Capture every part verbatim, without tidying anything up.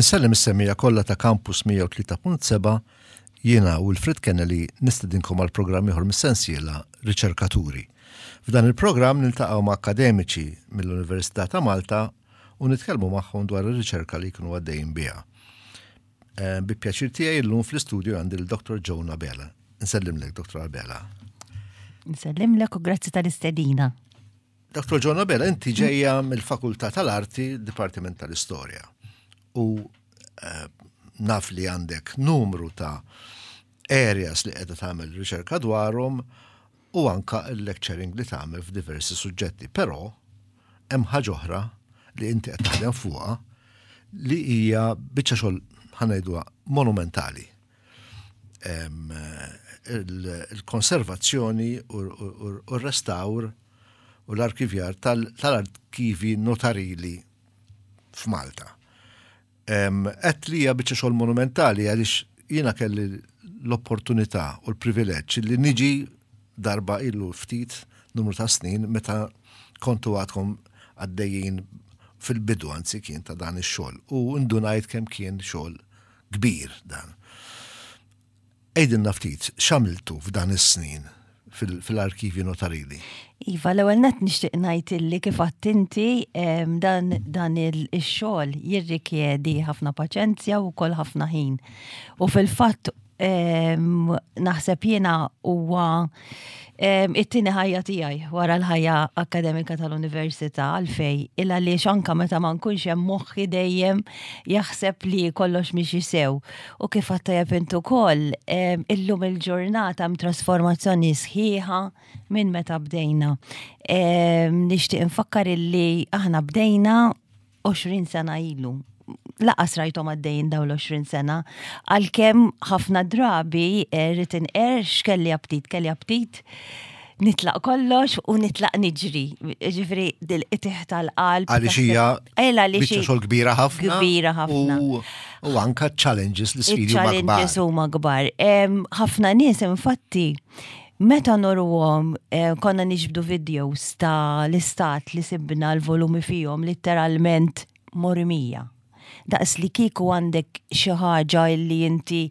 Insellem is-semmiegħa kollha ta' Campus mija u tlieta punt seba'. Jiena Wilfred Kennedy nistedinkom għal programm ieħor mis-sensiela Riċerkaturi. F'dan il-programm niltaqgħu ma' akademiċi mill-Università ta' Malta u nitkellmu magħhom dwar ir-riċerka li jkunu għaddejjin biha. Eh, bi pjaċir tiegħi llum fl-istudju għandi l-Doktor Joan Abela. Nsellimlek, Doktor Abela. Nsellimlek u grazzi tal-istedina. Doktor Joan Abela, inti ġejja mill-Fakultà tal-Arti, Dipartiment tal-Istorja. U eh, naf li għandek numru ta' areas li qiegħda tagħmel riċerka dwarhom u anka il-lecturing li tagħmel f'diversi suġġetti. Però hemm ħaġa oħra li inti qed taħdem fuqha li hija biċċa xogħol, ħa ngħiduha, monumentali. Il-konservazzjoni u r-restawr u l-arkivjar tal-arkivi notarili f'Malta. Għedt li hija biċċa xogħol monumentali għaliex jiena kelli l-opportunità u l-privileġġ li niġi darba ilu ftit numru ta' snin meta kontu għadkom għaddejjin fil-bidu, anzi kien ta' dan ix-xogħol, u ndunajt kemm kien xogħol kbir dan. Għidilna ftit x'għamiltu f'dan is-snin fil-arkivi notarili. Iva, l-ewwel nett nixtieq ngħid illi kif inti dan dan ix-xogħol jirrikjedi ħafna paċenzja u wkoll ħafna ħin. U fil-fatt naħseb jiena huwa it-tieni ħajja tiegħi wara l-ħajja akademika tal-università. Għalfejn? Illa li anka meta ma nkunx hemm, moħħi dejjem jaħseb li kollox miexi sew. U kif għedt tajjeb int ukoll, illum il-ġurnata hemm trasformazzjoni sħiħa minn meta bdejna. Nixtieq infakkar illi aħna bdejna għoxrin sena ilu. Lanqas rajthom għaddejjin daw l-għoxrin sena, għalkemm ħafna drabi rrid inqerr kelli aptit, kelli aptit nitlaq kollox u nitlaq niġri. Ġifieri, dil-qtigħ tal-qalb. Għaliex hija biċċa xogħol kbira ħafna. Kbira ħafna. U anka challenges, l-sfidi huma kbar. Challenges huma kbar. Ħafna nies infatti meta nuruhom, eh, konna niġbdu videos ta' l-istat li sibna l-volumi fihom, literalment mormija. Daqs li kieku għandek xi ħaġa li inti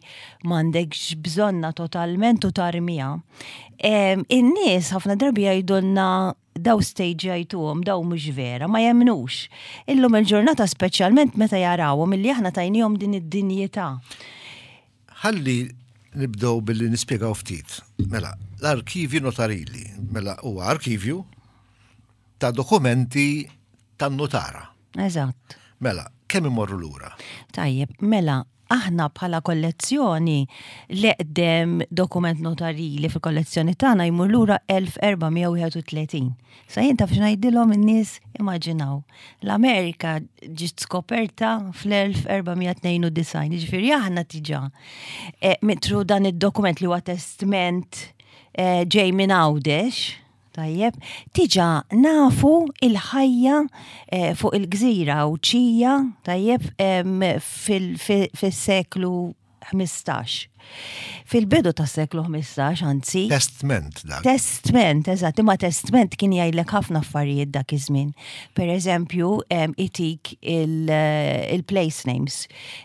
m'għandekx bżonna totalment u tarmija. In-nies ħafna drabi jgħidulna daw stage jgħajtuhom, daw mhux vera, ma jemnux. Illum il-ġurnata, speċjalment meta jarawhom illi aħna tajnihom din id-dinjità. Ħalli nibdew billi nispjegaw ftit. Mela, l-arkivi notarili, mela huwa arkivju ta' dokumenti tan-notara. Eżatt. Mela, kemm imorru lura? Tajjeb, mela, aħna bħala kollezzjoni, l-eqdem dokument notarili fil-kollezzjoni tagħna jmur lura elf erba' mija u wieħed u tletin. Sa jien taf x'ngħidilhom in-nies? Immaġinaw. L-Amerika ġiet skoperta fl-elf erba' mija tnejn u disgħin, jiġifieri aħna diġà e, mitru dan id-dokument li huwa testment e, ġej minn Għawdex. Tajjeb, diġà nafu il-ħajja eh, fuq il-gżira Għawdxija, tajjeb, fil-seklu ħmistax. Fil-bidu ta' seklu ħmistax, anzi. Testment dak. Testment, eżatt, imma testment kien jgħidlek ħafna affarijiet dak iż-żmien. Per eżempju, itik il-place names.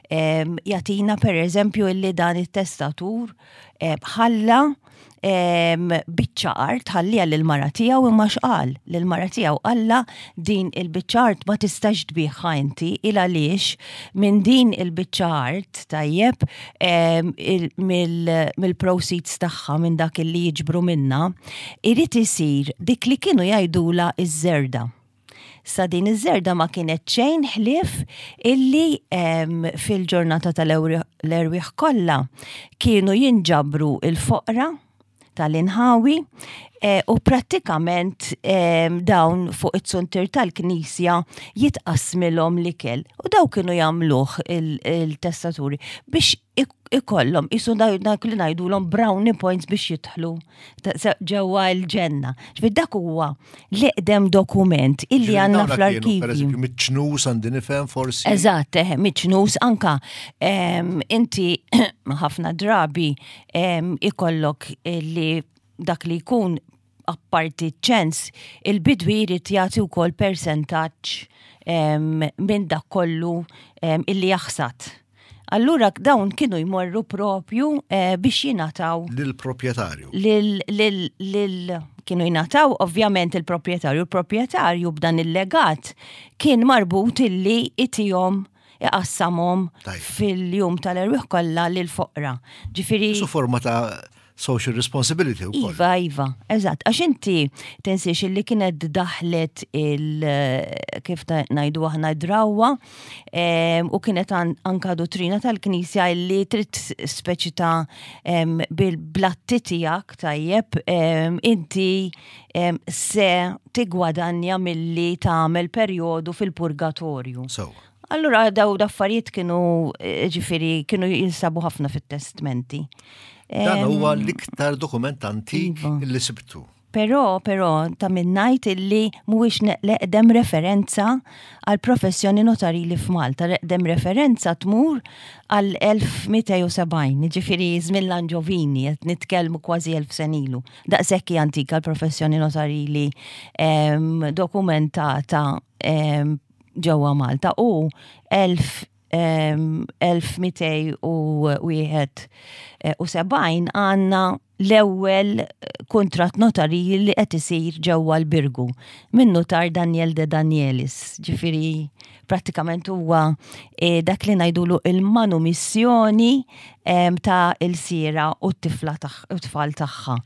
Jagħtina per eżempju illi dan it-testatur ħalla biċċa art, ħallija lil-mara tiegħu, imma x'qal lil-mara tiegħu? Qalla din il-biċċa art ma tistax tbigħha inti, il għaliex minn din il-biċċa art, tajjeb, mill-proceeds tagħha, minn dak li jiġbru minna, irid isir dik li kienu jgħidula iż-żerda. Sa din iż-żerda ma kienet xejn ħlief illi fil-ġurnata tal-erwieħ kollha kienu jinġabru il-foqra tal-inħawi eh, u prattikament dawn fuq it-suntir tal-knisja jitqasmilhom l-ikel. U daw kienu jagħmluh il-testaturi biex ikollhom isu dak li ngħidulhom brownie points biex jidħlu ġewwa l-ġenna. Ġifieri dak huwa l-eqdem dokument illi għandna fl-arkivju. Per eżempju, miċ-ċnus għandi nifhem forsi. Eżatt, eh, miċ-ċnus anka inti ħafna drabi ikollok li dak li jkun, apparti ċens, il-bidwi jrid jagħti wkoll persentaġġ. minn dak kollu illi jaħsad. Allura dawn kienu jmorru propju eh, biex jingħataw lill-proprjetarju. Lil, lil, lil, kienu jingħataw ovvjament il-proprjetarju. Il-proprjetarju b'dan il-legat kien marbut illi itihom, iqassamhom fil-jum tal-erwieħ kollha lil foqra. Ġifieri Su forma ta' social responsibility u Iva, iva, eżatt. Għax inti tinsiex illi kienet daħlet il kif ngħidu aħna drawa u kienet anka dottrina tal-Knisja illi trid speċi ta' bil-blatti tiegħek tajjeb inti se tigwadanja milli tagħmel perjodu fil-purgatorju. So. Allura daw d'affarijiet kienu, ġifieri, kienu jinsabu ħafna fit-testmenti. Dan huwa l-iktar dokument antik iva. li sibtu. Però, però, ta' min ngħid illi mhuwiex l-eqdem referenza għal professjoni notarili f'Malta. L-eqdem referenza tmur għal elf mitt u sebgħin, ġifieri żmien l-Anġovini, qed nitkellmu kważi elf sena ilu. Daqshekk antika l-professjoni notarili dokumentata ġewwa Malta u elf mitt u wieħed u sebgħin għandna l-ewwel kuntratt notarili li qed isir ġewwa l-Birgu minn notar Daniel de Danielis. Ġifieri prattikament huwa eh, dak li ngħidulu il-manumissjoni ta' il-sira u t-tifla u tfal tagħha.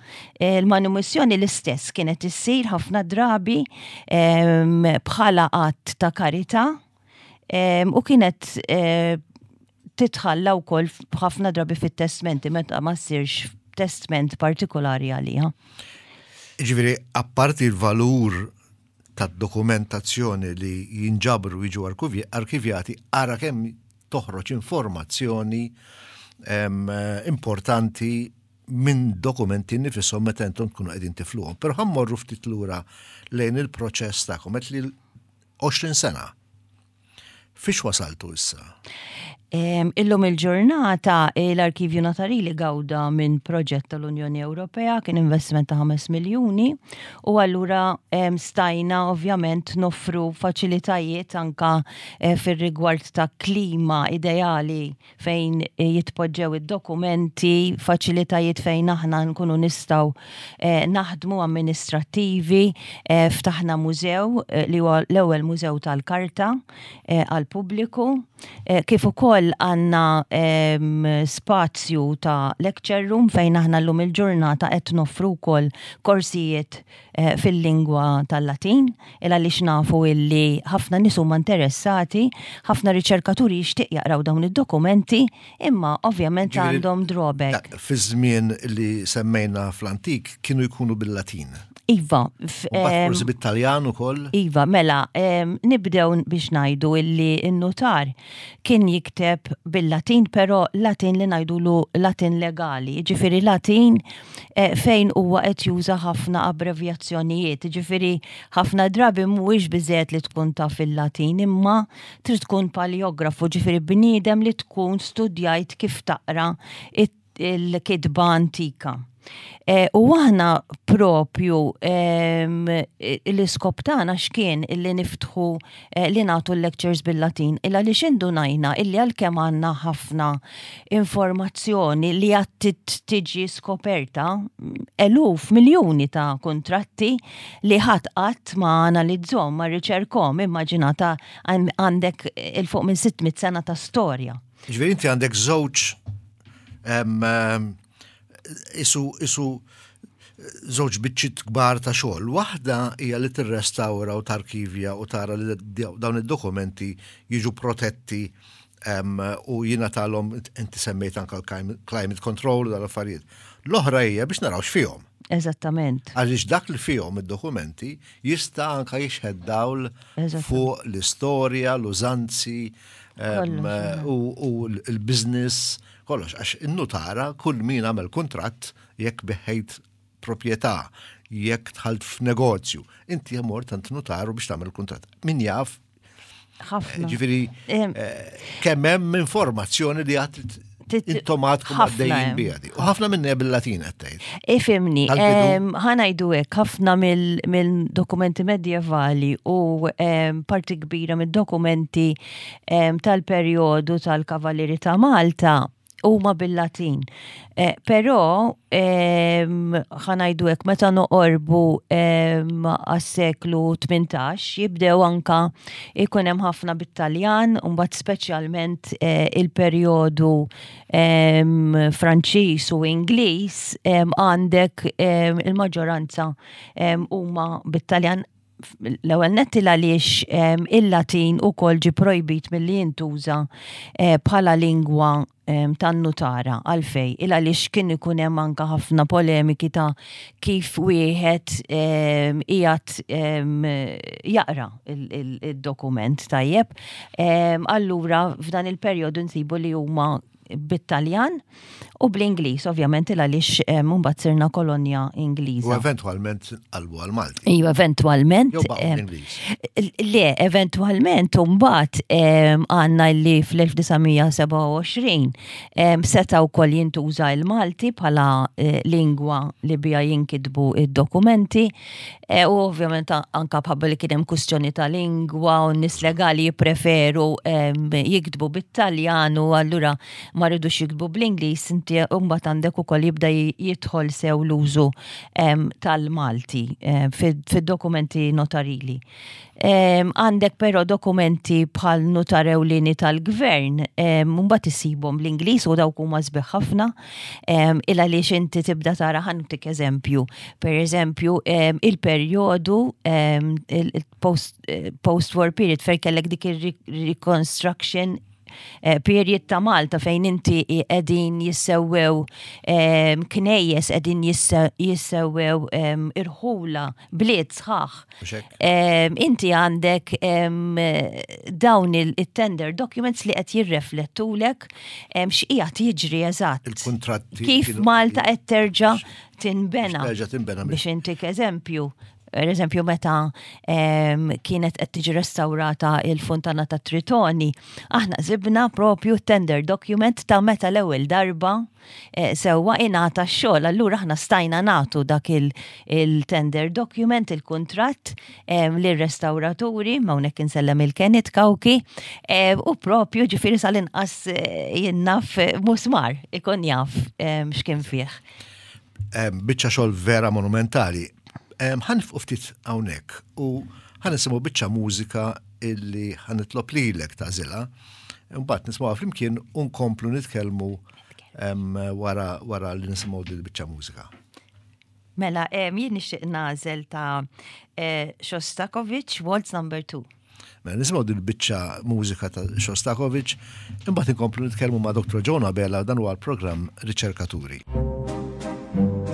Eh, il-manumissjoni l-istess kienet issir ħafna drabi bħala att ta' karità u kienet eh, titħalla wkoll ħafna drabi fit-testmenti meta ma ssirx testment partikolari għaliha. Ġifieri, apparti il-valur tad dokumentazzjoni li jinġabru, jiġu arkivjati, ara kemm toħroġ informazzjoni importanti minn dokumenti nifisom meta intom tkunu qegħdin tifluhom. Però ħa mmorru ftit lura lejn il-proċess tagħkom, qed li għoxrin sena. Fiex wasaltu issa? Illum il-ġurnata l-Arkivju Notarili gawda minn proġett tal-Unjoni Ewropea, kien investiment ta' ħames miljuni u allura stajna ovvjament noffru faċilitajiet anka eh, fir-rigward ta' klima ideali fejn jitpoġġew id-dokumenti, faċilitajiet fejn aħna nkunu nistgħu eh, naħdmu amministrattivi, eh, ftaħna mużew li huwa l-ewwel mużew tal-karta għal pubbliku, kif ukoll għandna spazju ta' lecture room fejn aħna llum il-ġurnata qed noffru wkoll korsijiet eh, fil-lingwa tal-Latin, il għaliex nafu illi ħafna nies huma interessati, ħafna riċerkaturi jixtieq jaqraw dawn id-dokumenti, imma ovvjament għandhom drawback. Fi żmien li semmejna fl-antik kienu jkunu bil-Latin. Iva. Forsi bit-Taljan ukoll? Iva, mela, nibdew biex ngħidu illi n-notar kien jikteb bil-Latin, però Latin li ngħidulu Latin legali, ġifieri Latin eh, fejn huwa qed juża ħafna abbrevjazzjonijiet, ġifieri ħafna drabi mhuwiex biżejjed li tkun taf il-Latin, imma trid tkun paleografu, ġifieri bniedem li tkun studjajt kif taqra il-kitba antika. E, u aħna propju l-iskop tagħna x'kien illi niftħu eh, li nagħtu lectures bil-Latin, illa li x'indunajna illi għalkemm għandna ħafna informazzjoni li għad tiġi skoperta, eluf, miljuni ta' kontratti li ħadd qatt ma analizzhom, ma riċerkhom, immaġinata għandek 'il fuq minn sitt mitt sena ta' storja. Ġifieri inti għandek żewġ isu isu żewġ biċċiet kbar ta' xogħol. Waħda hija li tirrestawra u tarkivja u tara li dawn id-dokumenti jiġu protetti u jingħatalhom, inti semmejt anka l-climate control, dal-affarijiet. L-oħra hija biex naraw x'fihom. Eżattament. Għaliex dak li fihom id-dokumenti jista' anka jixħet dawl fuq l-istorja, l-użanzi u l-business kollox, għax in-nutara, kull min għamel kuntratt, jekk bigħt proprjetà, jekk dħalt f'negozju, inti mort għand nutaru biex tagħmel kuntratt. Min jaf, ħafna. Ġifieri, eh, kemm hemm informazzjoni li għad Intom għadkom għaddejjin biha. U ħafna minna bil-Latin qed tgħid. Ifhimni, ħa ngħidu hekk, ħafna mill-dokumenti medjevali u parti kbira mid-dokumenti tal-perjodu tal-Kavallieri ta' Malta huma bil-Latin. Eh, però ħa ngħidu hekk, meta noqorbu għas-seklu tmintax jibdew anka ikun hemm ħafna bit-Taljan, u mbagħad speċjalment eh, il-perjodu Franċiż u Ingliż, għandek il-maġġoranza huma bit-Taljan. L-ewwel nett għaliex il-Latin ukoll ġi projbit milli jintuża eh, bħala lingwa tan-nutara. Għalfej? Il għaliex kien ikun hemm anka ħafna polemiki ta' kif wieħed qiegħed jaqra il-dokument, tajjeb. Allura f'dan il-perjodu nsibu li huma bit-Taljan u bl-Ingliż, ovvjament, il għaliex mbagħad sirna kolonja Ingliża. U eventwalment qalbu għal-Malti. Iva, eventwalment. Le, eventwalment mbagħad għandna li fl-elf disa' mija sebgħa u għoxrin seta' wkoll jintuża il-Malti bħala eh, lingwa li bija jinkitbu id-dokumenti eh, u ovvjament anka bħabba li kien hemm kwistjoni ta' lingwa u nies legali jippreferu jiktbu bit-Taljan u allura ma ridux jiktbu bl-Ingliż, inti mbagħad għandek ukoll jibda jidħol sew l-użu tal-Malti fid-dokumenti notarili. Għandek però dokumenti bħal nutar ewlieni tal-gvern, mbagħad isibhom bl-Ingliż u dawk huma sbieħ ħafna, il għaliex inti tibda tara, ħa ntik eżempju. Per eżempju, il-perjodu il-post-war period fejn kellek dik il-reconstruction eh, period ta' Malta fejn inti qegħdin jissewwew knejjes, qegħdin jissewwew irħula, bliet sħaħ. Inti għandek dawn il-tender documents li qed jirreflettulek x'qiegħed jiġri eżatt. Il-kontratti. Kif Malta qed terġa' tinbena. Terġa' tinbena. Biex intik eżempju, per eżempju, meta em, kienet qed tiġi restaurata il-Fontana ta' Tritoni, aħna sibna propju tender document ta' meta l-ewwel darba eh, sewwa ingħata x-xogħol. Allura aħna stajna nagħtu dak il-tender document, il-kuntratt lir-restawraturi, ma hawnhekk insellem il-Kenneth Cauchi, eh, u propju ġifieri sal-inqas eh, jien naf musmar ikun jaf x'kien fih. Biċċa xogħol vera monumentali. Ħa nieqfu ftit hawnhekk u ħa nisimgħu biċċa mużika illi ħa nitlob lilek tagħżilha. Mbagħad nisimgħuha flimkien u nkomplu nitkellmu wara wara li nisimgħu din biċċa mużika. Mela, jien nixtieq nagħżel ta' eh, Shostakovich, Waltz Number two. Mela nisimgħu din biċċa mużika ta' Shostakovich, imbagħad inkomplu nitkellmu ma' Doktor Joan Abela. Dan huwa l-programm Riċerkaturi. Thank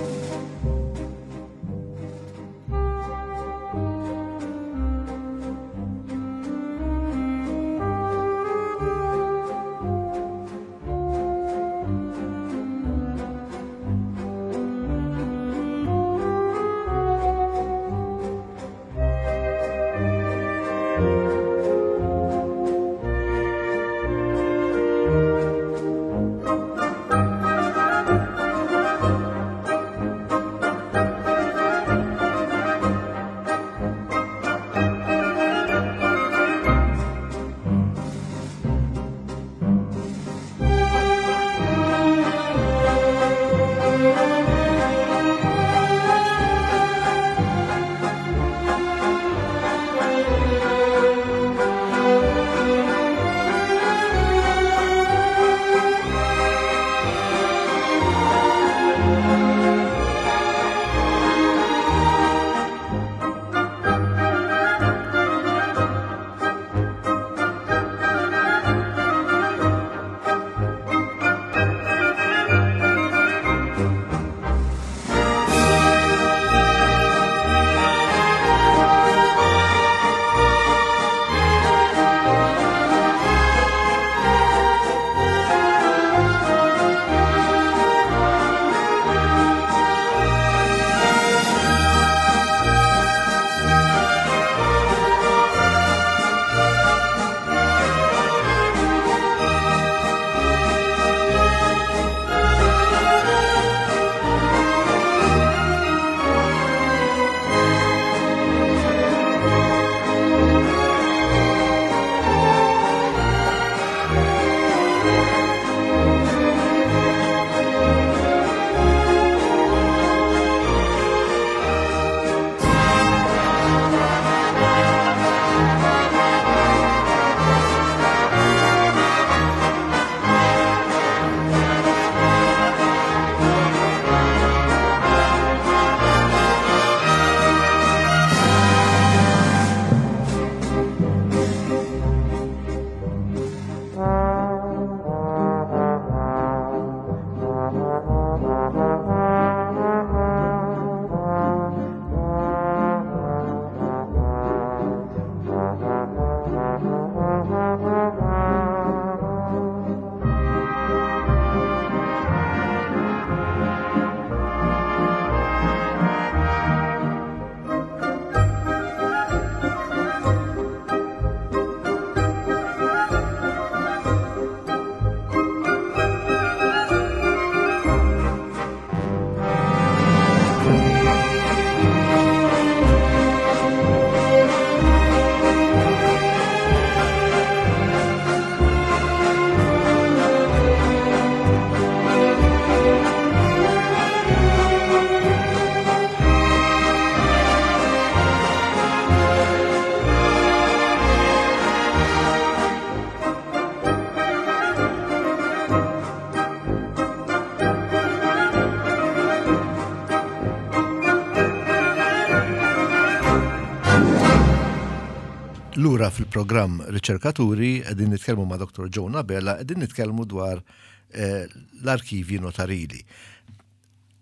Lura fil-programm Riċerkaturi, qegħdin nitkellmu ma' Dottor Joan Abela, qegħdin nitkellmu dwar eh, l-arkivji notarili.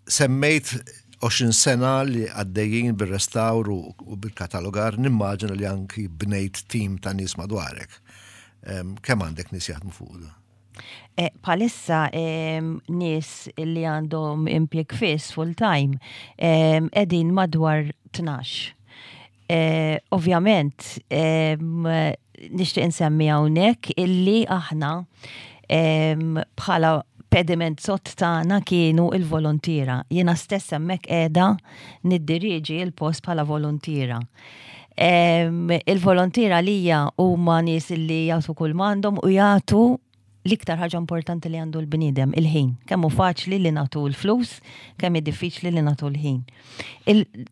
Semmejt għoxrin sena li għaddejjin bil-restawr u bil-katalogar, nimmaġina li anki bnejt tim ta' nies madwarek. Kemm għandek nies jaħdmu fuq da? Eh, bħalissa nies li għandhom impjeg fiss full time qegħdin madwar tnax. Eh, ovvjament, nixtieq insemmi hawnhekk illi aħna bħala pediment sod tagħna kienu il-volontiera. Jiena stess hemmhekk qiegħda niddiriġi il-post bħala volontiera. Il-volontiera lija huma nies li jagħtu kull m'għandhom u jagħtu l-iktar ħaġa importanti li għandu l-bniedem, il-ħin. Kemm hu faċli li nagħtu l-flus, kemm diffiċli li nagħtu l-ħin.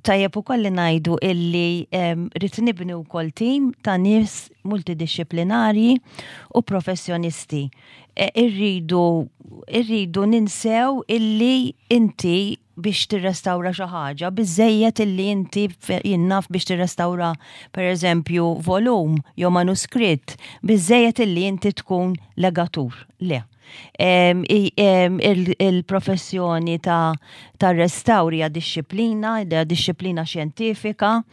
Tajjeb ukoll li ngħidu illi rrid nibni wkoll tim ta' nies multidisciplinarji u professjonisti. E, irridu irridu ninsew illi inti biex tirrestawra xi ħaġa, biżejjed illi inti, jien naf, biex tirrestawra, pereżempju, volum jew manuskritt, biżejjed illi inti tkun legatur. Le. Il-professjoni ta' ta' restawr hija dixxiplina, hija dixxiplina xjentifika.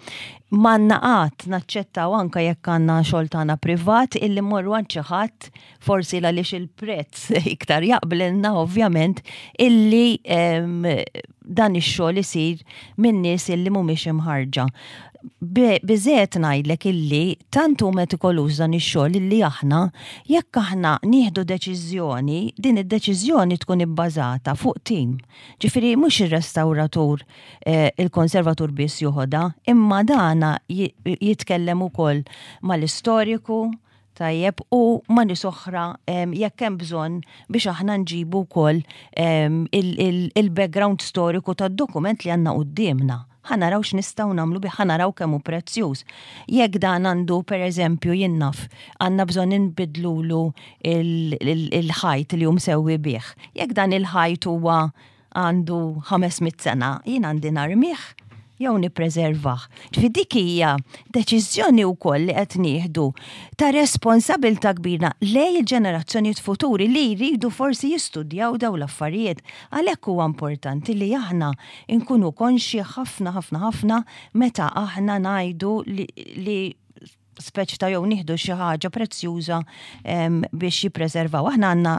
M'għandna qatt naċċettaw, anka jekk għandna xogħol tagħna privat, illi mmorru għand xi ħadd, forsi għaliex il-prezz iktar jaqblilna ovvjament, illi dan ix-xogħol isir minn nies illi mhumiex imħarġa. Biżejjed ngħidlek illi tant hu metikoluż dan ix-xogħol illi aħna, jekk aħna nieħdu deċiżjoni, din id-deċiżjoni tkun ibbażata fuq tim. Ġifieri mhux ir-restawratur, eh, il-konservatur biss joħodha, imma dana jitkellem ukoll mal-istoriku, tajjeb, u ma' nies oħra jekk hemm bżonn biex aħna nġibu wkoll il-background storiku tad-dokument li għandna quddiemna. Ħa naraw x'nistgħu nagħmlu bih, ħa naraw kemm hu prezzjuż. Jekk dan għandu, pereżempju, jien naf, għandna bżonn inbidlulu il-ħajt li hu msewwi bih. Jekk dan il-ħajt huwa għandu ħames mitt sena, jien għandi narmih jew nippreservah? Ġifieri dik hija deċiżjoni wkoll li qed nieħdu ta' responsabilità kbira lejn il-ġenerazzjonijiet futuri li jridu forsi jistudjaw daw l-affarijiet. Għalhekk huwa importanti li aħna nkunu konxi ħafna ħafna ħafna meta aħna ngħidu li, li speċi ta' jew nieħdu xi ħaġa prezzjuża biex jippreservaw. Aħna għandna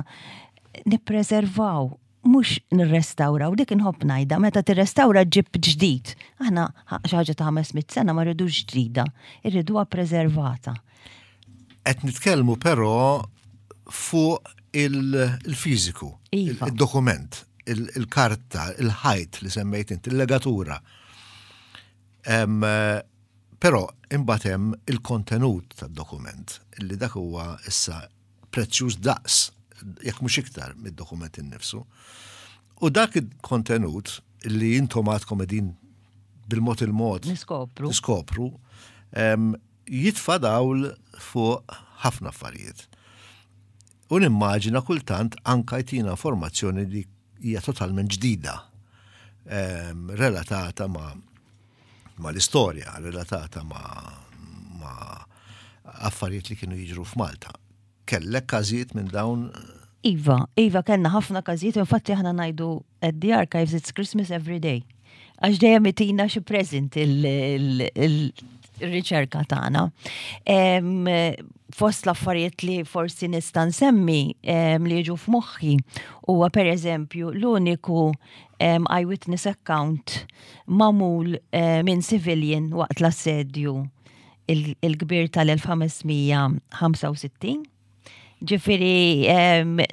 nippreservaw, mhux nirrestawraw. Dik inħobb ngħidha, meta tirrestawra ġib ġdid. Aħna xi ħaġa ta' ħames mitt sena ma rridux ġdida, irriduha preservata. Qed nitkellmu però fuq il-fiżiku, Iva. il-dokument, il-karta, il-ħajt li semmejt inti, il-legatura. Però imbagħad hemm il-kontenut tad-dokument, illi dak huwa issa prezzjuż daqs, jekk mhux iktar, mid-dokument innifsu. U dak il-kontenut li intom għadkom qegħdin bil-mod il-mod Niskopru. Niskopru, jitfa' dawl fuq ħafna affarijiet. U nimmaġina kultant anka jtina informazzjoni li hija totalment ġdida, relatata ma' ma' l-istorja, relatata ma', ma' affarijiet li kienu jiġru f'Malta. Kellek każijiet minn dawn? Iva, Iva, kellna ħafna każijiet, infatti aħna ngħidu at the archives it's Christmas every day. Għax dejjem itina xi present il-riċerka tagħna. Fost l-affarijiet li forsi nista' nsemmi li jiġu f'moħħi huwa, pereżempju, l-uniku eyewitness account magħmul minn civilian waqt l-assedju il-kbir tal-elf ħames mija ħamsa u sittin. Ġifieri,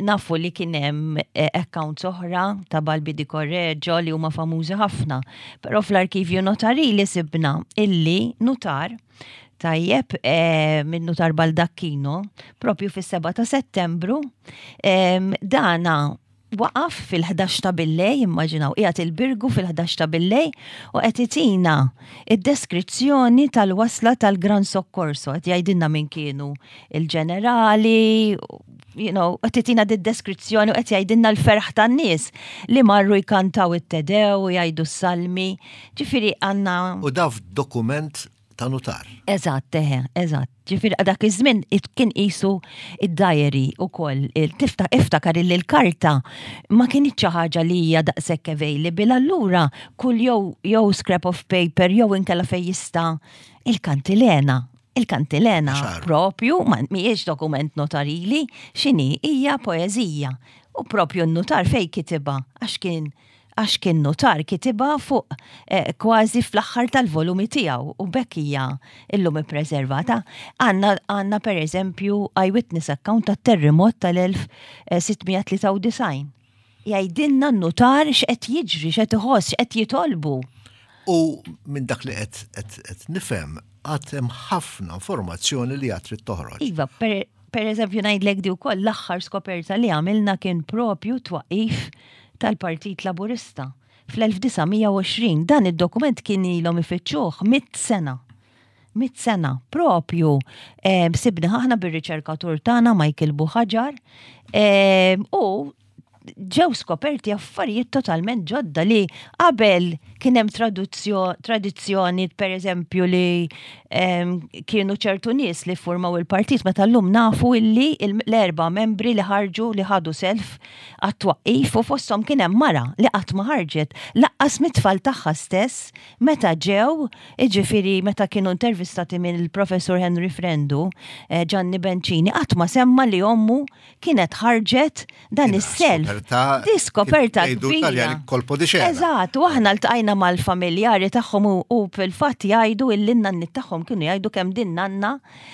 nafu li kien hemm eh, accounts oħra ta' Balbi di Correggio li huma famużi ħafna, però fl-arkivju notarili sibna illi nutar, tajjeb, minn nutar Baldacchino, propju fis-seba ta' Settembru, dana waqaf fil-ħdax ta' billejl, immaġinaw, qiegħed il-Birgu fil-ħdax ta' billejl u qed itina id-deskrizzjoni tal-wasla tal-Gran Soccorso, qed jgħidilna min kienu il-ġenerali, you know, qed itina d-deskrizzjoni u qed jgħidilna l-ferħ tan-nies li marru jkantaw it-Te Deum u jgħidu s-salmi. Ġifieri għandna U daf dokument ta' nutar. Eżatt, eħe, eżatt. Ġifieri dak iż-żmien kien qisu id-diary ukoll. Tifta iftakar illi l-karta ma kienx xi ħaġa li hija daqshekk available, allura kull jew jew scrap of paper jew inkella fejn jista' il-kantilena. Il-kantilena propju ma mhijiex dokument notarili, x'inhi hija poeżija. U propju n-nutar fej kitibha għax kien għax kien notar kitibha fuq eh, kważi fl-aħħar tal-volumi tiegħu u b'hekk hija illum ippreservata. Għandna għandna per eżempju eyewitness account tat-terremot tal-elf sitt mija tlieta u disgħin. Jgħidilna n-notar x'qed jiġri, x'qed iħoss, x'qed jitolbu. U minn dak li qed nifhem għad hemm ħafna informazzjoni li għad trid toħroġ. Iva, per, per eżempju ngħidlek di wkoll l-aħħar skoperta li għamilna kien propju twaqif tal-Partit Laburista fl-elf disa' mija u għoxrin. Dan id-dokument kien ilhom ifittxuh mitt sena. Mitt sena propju eh, sibna aħna bir-riċerkatur tagħna Michael Buhagiar eh, u ġew skoperti affarijiet totalment ġodda li qabel kien hemm tradizzjoni, per eżempju, li um, kienu ċertu nies li formaw il-partit, meta llum nafu illi l-erba membri li ħarġu, li ħadu self għat-twaqqif, u fosthom kien hemm mara li qatt ma ħarġet lanqas mit-tfal tagħha stess meta ġew, jiġifieri meta kienu intervistati minn il-professur Henry Frendu, eh, Gianni Bencini qatt ma semma li ommu kienet ħarġet dan is-self. Di skoperta kbira. Colpo di scena. Eżatt, u aħna ltqajna mal-familjari tagħhom u fil-fatt jgħidu illi n-nanni tagħhom kienu jgħidu kemm din nanna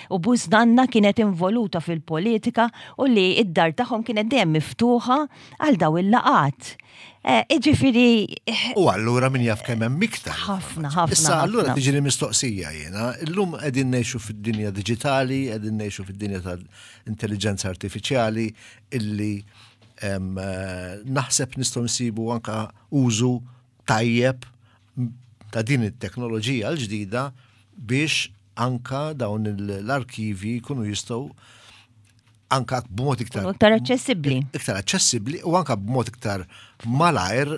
u bużnanna kienet involuta fil-politika u li id-dar tagħhom kienet dejjem miftuħa għal daw il-laqat. Iġifieri. U allura min jaf kemm hemm iktar. Ħafna, ħafna. Issa allura tiġi mistoqsija jiena, illum qegħdin ngħixu fid-dinja diġitali, qegħdin ngħixu fid-dinja tal-intelligenza artifiċjali illi naħseb nistgħu nsibu anka użu tajjeb ta' din it-teknoloġija l-ġdida biex anka dawn l-arkivi jkunu jistgħu anka b'mod iktar iktar aċċessibbli. Iktar aċċessibbli u anka b'mod iktar malajr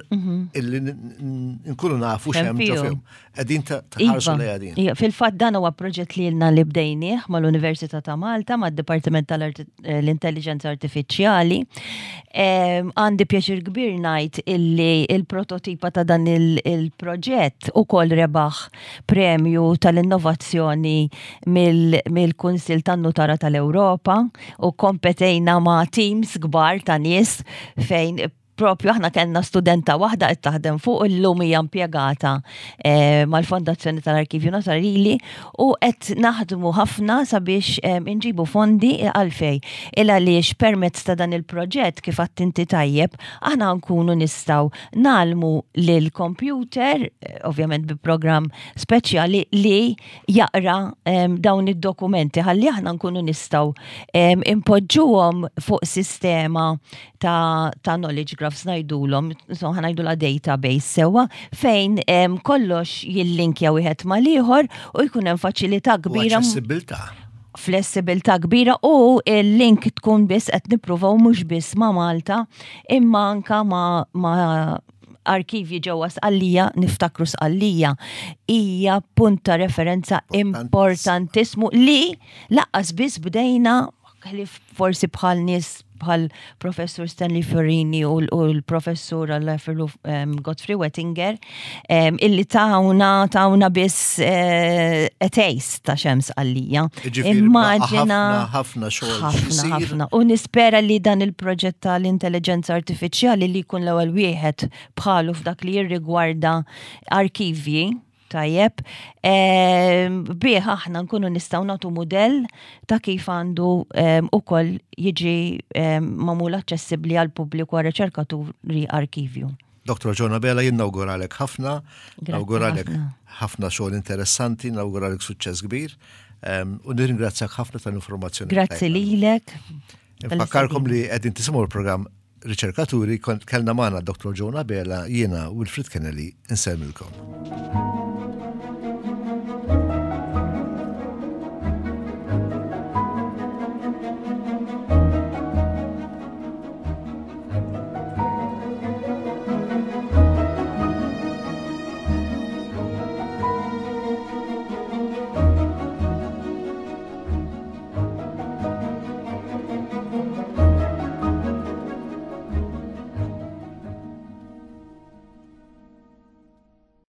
illi nkunu nafu x'hemm ġo fihom. Qegħdin tħarsu li qegħdin. Fil-fatt dan huwa proġett li ilna li bdejnieh mal-Università ta' Malta, mad-Dipartiment tal-Intelligenza Artifiċjali. Għandi pjaċir kbir ngħid illi il-prototipa ta' dan il-proġett ukoll rebaħ premju tal-innovazzjoni mill-Kunsil tan-Nutara tal-Ewropa u kompetejna ma' teams kbar ta' nies fejn propju aħna kellna studenta waħda qed taħdem fuq, illum hija impjegata eh, mal-Fondazzjoni tal-Arkivju Notarili, u qed naħdmu ħafna sabiex eh, inġibu fondi. Għalfej? Il għaliex permezz ta' dan il-proġett, kif inti tajjeb, aħna nkunu nistgħu ngħallmu lil computer, eh, ovvjament bi program speċjali li jaqra dawn id-dokumenti, ħalli aħna nkunu nistgħu impoġġuhom fuq sistema ta', ta knowledge graphs ngħidulhom, so ħa ngħidulha database sewwa, fejn kollox jillinkja wieħed mal-ieħor u jkun hemm faċilità kbira. Aċċessibilità. Flessibilità kbira u il-link tkun biss qed nippruvaw mhux biss ma' Malta imma anka ma', ma arkivji ġewwa Sqallija. Niftakru, Sqallija hija punt ta' referenza importantissimu li lanqas biss bdejna, ħlief forsi bħal nies bħal professur Stanley Fiorini u l-professur um, Godfrey Wettinger um, illi tawna tawna biss uh, a taste ta' x'hemm Sqallija. Immaġina ħafna xogħol. Ħafna, ħafna. U nispera li dan il-proġett tal-intelligenza artifiċjali, li jkun l-ewwel wieħed bħalu f'dak li jirrigwarda arkivji, tajjeb, bih aħna nkunu nistgħu nagħtu mudell ta' kif għandu ukoll jiġi magħmul aċċessibbli għal pubbliku, għal riċerkaturi, arkivju. Doktor Joan Abela, jien nawguralek ħafna, nawguralek ħafna xogħol interessanti, nawguralek suċċess kbir u nirringrazzjak ħafna tal-informazzjoni. Grazzi lilek. Nfakkarkom li qegħdin tisimgħu l-programm Riċerkaturi, kellna magħna Doktor Joan Abela, jiena Wilfred Kennelly, insellmilkom.